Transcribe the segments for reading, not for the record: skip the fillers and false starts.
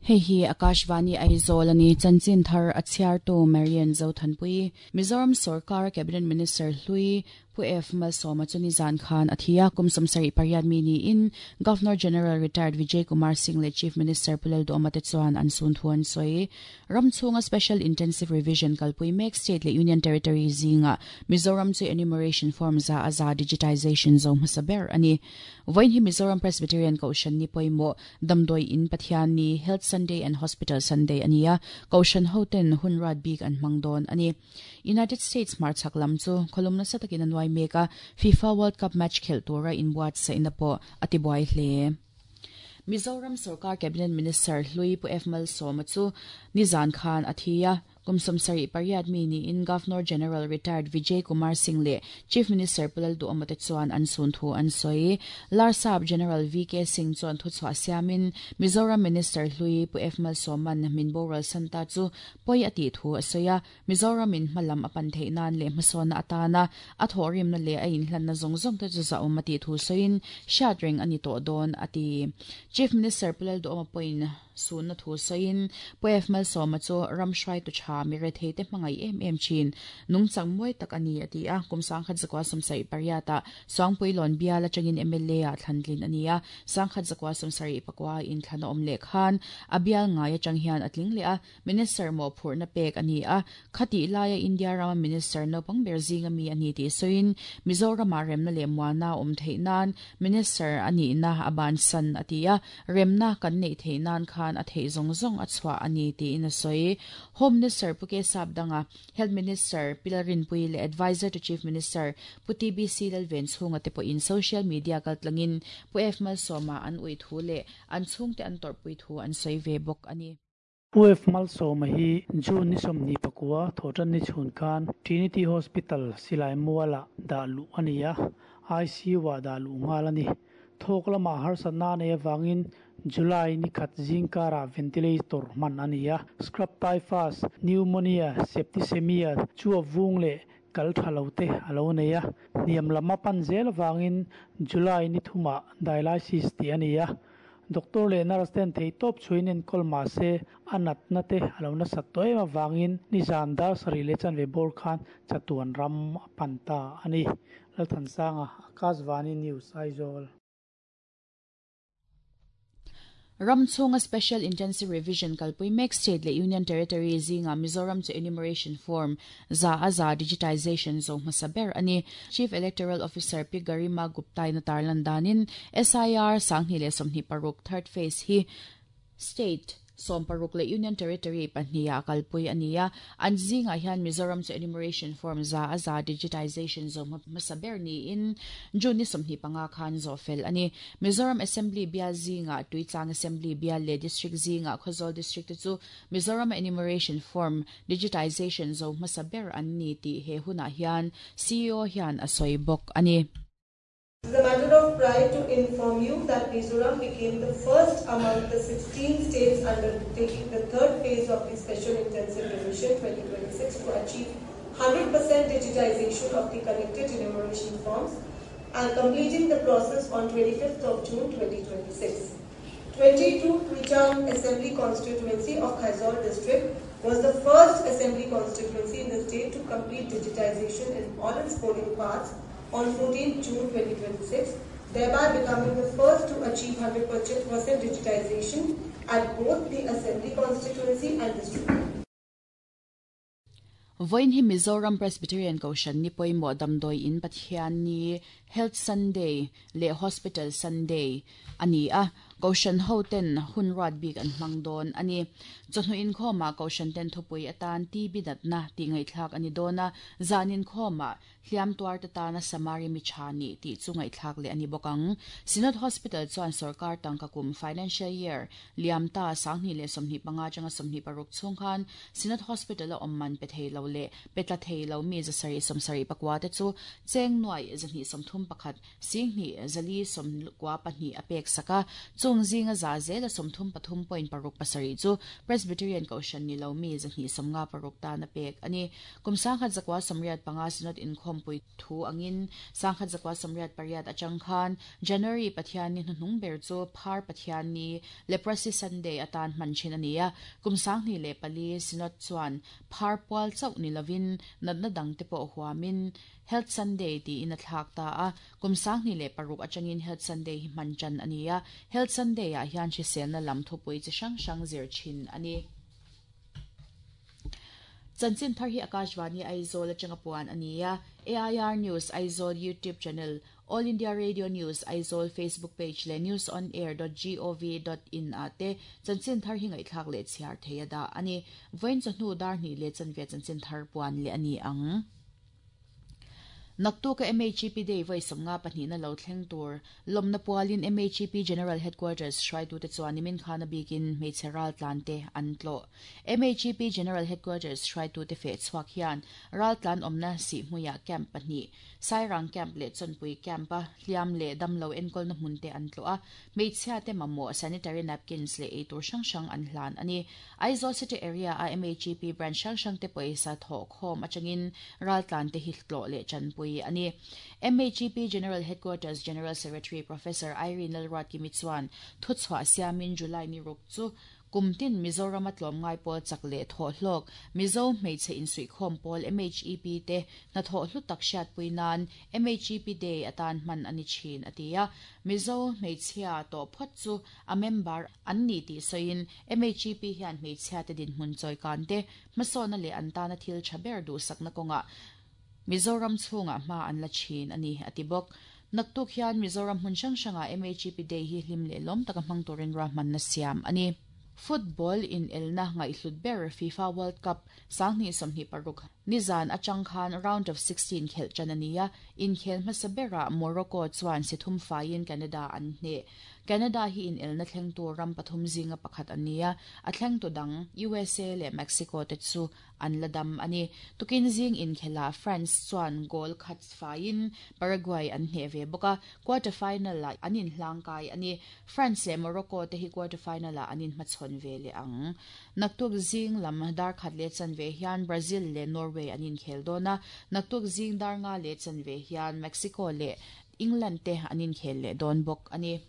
Hei hi Akashvani Aizawl a ni. Chanchin thar a chhiartu Marian Zothanpui. Mizoram sorkar Cabinet Minister hlui Pu F Malsawma chu nizan khan a thi a, kum 78 mi niin Governor General Retired Vijay Kumar Singh leh Chief Minister Pu Lalduhoma te chuan an sun thu an sawi. Ram chhunga Special Intensive Revision kalpui mek State leh Union Territory zingah Mizoram chu enumeration form za a za digitization zo hmasa ber a ni. Vawiin hi Mizoram Presbyterian Kohhran ni pawimawh Damdawi In Pathian ni, Health Sunday and Hospital Sunday a ni a, Kohhran hoten hun ruat bik an hmang dawn a ni. United States hmarchhak lam chu khawlum nasa takin a nuai mek a, FIFA World Cup match khelh tura inbuatsaihna pawh a tibuai hle. Mizoram sorkar Cabinet Minister hlui Pu F Malsawma chu nizan khan a thi a, Kum 78 mi niin Governor General Retired Vijay Kumar Singh leh Chief Minister Pu Lalduhoma te chuan an sun thu an sawi. Larsap General VK Singh chuan thuchhuah siamin Mizoram Minister hlui Pu F Malsawman min boral san ta chu pawi a tih thu a sawi a, Mizoramin hma lam a pan theih nan leh hmasawnna atana a thawhrimna leh a inhlanna zawng zawng te chu zahawm a tih thu sawiin hriat reng a ni tawh dawn a ti. Chief Minister Pu Lalduhoma pawhin Sunna thu sawiin Pu F Malsawma chu ram hruaitu tha mi rethei te hmangaih em em thin, nungchang mawi tak a ni a ti a. Kum 1978 ah Suangpuilawn bial atangin mla ah thlantlin a ni a, 1979 in thlan a awm leh khan a bial ngai atang hian a tling leh a, Minister mawhphurhna pek a ni a. Khatih laia India rama Minister naupang ber zinga mi a ni tih sawiin Mizoramah remna leh muana a awm theih nan Minister a nihna a bansan a ti a. Remna kan neih theih nan khan a theih zawng zawng a chhuah a ni tiin a sawi. Home Minister Pu K Sapdanga, Health Minister Pi Lalrinpuii leh Adviser to Chief Minister Pu TBC Lalvenchhunga te pawhin social media kaltlangin Pu F Malsawma an ui thu leh an chhungte an tawrhpui thu an sawi ve bawk a ni. Pu F Malsawma hi June ni 29 thawhtan ni chhun khan Trinity Hospital silai mualah dah luh a ni a, ICU-ah dah luh nghal a ni. Thawk lamah harsatna a neih avangin July ni khat zingkarah ventilator hman a ni a. Scrub typhus, pneumonia, septicemia chu a vung leh kal tha lo te a lo nei a. Hniam lam a pan zel avangin July ni thumah dialysis tih a ni a. Doctor leh nurse ten theihtawp chhuiin enkawl mah se a natna te a lo nasat tawh em avangin nizan dar sarih leh chanve bawr khan chatuan ram a pan ta a ni. Lalthansanga, Akashvani News, Aizawl. Ram chhunga Special Intensive Revision kalpui mek State leh Union Territory zingah Mizoram chu Enumeration Form 100% digitization zo hmasa ber a ni. Chief Electoral Officer Pi Garima Gupta-in a tarlan danin SIR 2026 third phase hi State 16 leh Union Territory pahniha kalpui a ni a, an zingah hian Mizoram chu enumeration form 100% digitization zo hmasa ber niin June ni 25 khan zawh fel a ni. Mizoram Assembly bial zingah Tuitlang Assembly bial leh District zingah Khawzawl District te chu Mizoram enumeration form digitization zo hmasa ber an ni tih he hunah hian CEO hian a sawi bawk a ni. It is a matter of pride to inform you that Mizoram became the first among the 16 states undertaking the third phase of the Special Intensive Revision 2026 to achieve 100% digitization of the collected enumeration forms and completing the process on 25th of June 2026. 22 Tuichang Assembly Constituency of Khawzawl District was the first assembly constituency in the state to complete digitization in all its polling parts on 14 June 2026, thereby becoming the first to achieve 100% digitization at both the assembly constituency and district. Vawiin hi Mizoram Presbyterian Kohhran ni pawimawh damdawi in Pathian ni, Health Sunday, leh Hospital Sunday a ni a, Kohhran hoten hun ruat bik an hmang dawn a ni. Chawhnu inkhawmah Kohhran ten thupui atan TB natna tih ngaihthlak a ni dawn a, zan inkhawmah Hliam tuarte tana Samari mi tha nih tih chu ngaihthlak leh a ni bawk ang. Synod Hospital chuan sorkar tangka kum, financial year, liam ta 2025 atanga 26 chhung khan Synod Hospital a awm man pe thei lo leh pe tla thei lo mi 774 te chu cheng nuai 231 sing hnih 4 92 a pek sak a. Chung zinga za zela 33.67 chu Presbyterian Kohhran ni lo mi 256 tana pek a ni. Kum 1985 Synod inkhawmpui thu angin 1988 atang khan January Pathianni hnuhnung ber chu Phar Pathianni, Leprosy Sunday, atan hman thin a ni a. Kum 2004 Synod chuan Phar pual chauh ni lovin natna dangte pawh huamin Health Sunday tiin a thlak ta a. Kum 2006 atangin Health Sunday hi hman tan a ni a. Health Sunday ah hian hriselna lam thupui chi hrang hrang zir thin a ni. Chanchin thar hi Akashvani Aizawl atanga puan a ni a. AIR News Aizawl YouTube channel, All India Radio News Aizawl Facebook page leh newsonair.gov.in ah te chanchin thar hi ngaihthlak leh chhiar thei a dah a ni. Vawiin chawhnu dar hnih leh chanve chanchin thar puan leh a ni ang. Naktuka MHEP Day vawi 52na lo thleng tur lawmna pualin MHEP General Headquarters hruaitute chuan nimin khan a bikin hmeichhe raltlan te an tlawh. MHEP General Headquarters hruaitute feh chhuak hian raltlan awmna Sihhmuiah camp pahnih, Sairang camp leh Chawnpui camp-a hliam leh damlo enkawlna hmun te an tlawh a, hmeichhia te mamawh sanitary napkins leh eitur hrang hrang an hlan a ni. Aizawl City Area-a MHEP branch hrang hrangte pawisa thawh khawm atangin raltlante hi tlawh leh tanpui a ni. MHEP General Headquarters General Secretary Professor Irene Lalruatkimi chuan thuchhuah siamin July ni ruk chu kum tin Mizorama tlawmngai pawl chak leh thawh hlawk Mizo hmeichhe insuihkhawm pawl MHEP te hnathawh hlu tak hriatpui nan MHEP Day atan hman a ni thin a ti a. Mizo hmeichhia tawh phawt chu a member an ni tih sawiin MHEP hian hmeichhiate dinhmun chawikan te, hmasawnna leh an tana thil tha ber duhsakna kawngah Mizoram chhungah hma an la thin a ni, a ti bawk. Naktuk hian Mizoram hmun hrang hrangah MHEP Day hi hlim leh lawm taka hmang turin ruahmanna siam a ni. Football inelna ngaihhlut ber FIFA World Cup 2026 nizan atang khan round of 16 khelh tan a ni a, inkhel hmasa berah Morocco chuan si thum faiin Canada an hneh. Canada hi inelna thlengtu ram pathum zinga pakhat an ni a, a thlengtu dang USA leh Mexico te chu an la dam a ni. Tukin zing inkhelah France chuan goal khat faiin Paraguay an hneh ve bawk a, quarter final-ah an inhlangkai a ni. France leh Morocco te hi quarter final-ah an inhmachhawn ve leh ang. Naktuk zing lam dar khat leh chanve hian Brazil leh Norway an inkhel dawn a, naktuk zing dar nga leh chanve hian Mexico leh England te an inkhel leh dawn bawk a ni.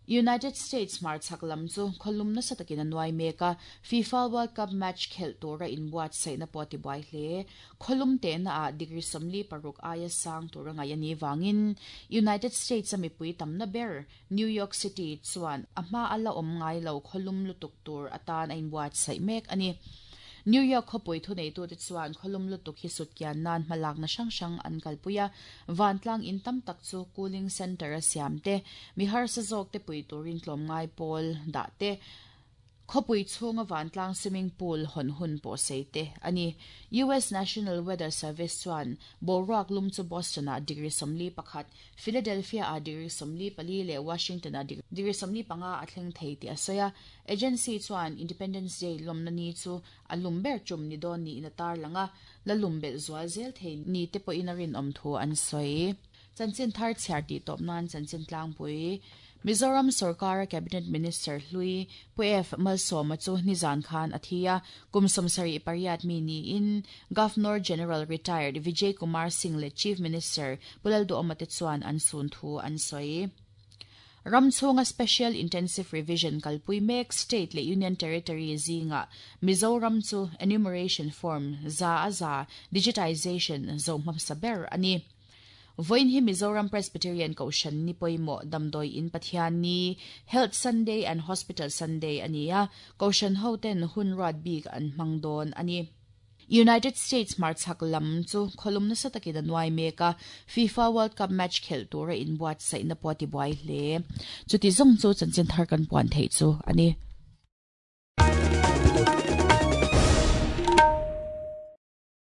United States hmarchhak lam chu khawlum nasa takin a nuai mek a, FIFA World Cup match khelh tura inbuatsaihna pawh a tibuai hle. Khawlum tehna ah degree 46 aia sang tura ngaih a nih vangin United States a mipui tamna ber New York City chuan a hma a la awm ngai lo khawlum lutuk tur atan a inbuatsaih mek a ni. New York khawpui thuneitute chuan khawlum lutuk hi sutkian nan hmalakna hrang hrang an kalpui a, Vantlang in tam tak chu cooling centre a siam te, mi harsa zawk te pui turin tlawmngai pawl dah te, khawpui chhunga vantlang swimming pool hawn hun pawh sei te a ni. US National Weather Service chuan boruak lum chu Boston-ah degree 41, Philadelphia-ah degree 44 leh Washington-ah degree 45 a thleng thei tih a sawi a. Agency chuan Independence Day lawmna ni chu a lum ber tum ni dawn niin a tarlang a, la lum belh zual zel thei ni te pawhin a rinawm thu an sawi. Chanchin thar chhiar tih tawp nan chanchin tlangpui Mizoram sorkara Cabinet Minister hlui Pu F Malsawma chu nizan khan a thi a, kum 78 mi niin Governor General Retired Vijay Kumar Singh leh Chief Minister Pu Lalduhawma te chuan an sun thu an sawi. Ram chhunga Special Intensive Revision kalpui mek State leh Union Territory zingah Mizoram chu Enumeration Form 100% Digitization zo hmasa ber a ni. Vawiin hi Mizoram Presbyterian Kohhran ni pawimawh Damdawi In Pathian Ni, Health Sunday and Hospital Sunday a ni a, Kohhran hoten hun ruat bik an hmang dawn a ni. United States hmarchhak lam chu khawlum nasa takin a nuai mek a, FIFA World Cup match khelh tura inbuatsaihna pawh a tibuai hle. Chuti zawng chu chanchin thar kan puan theih chu a ni.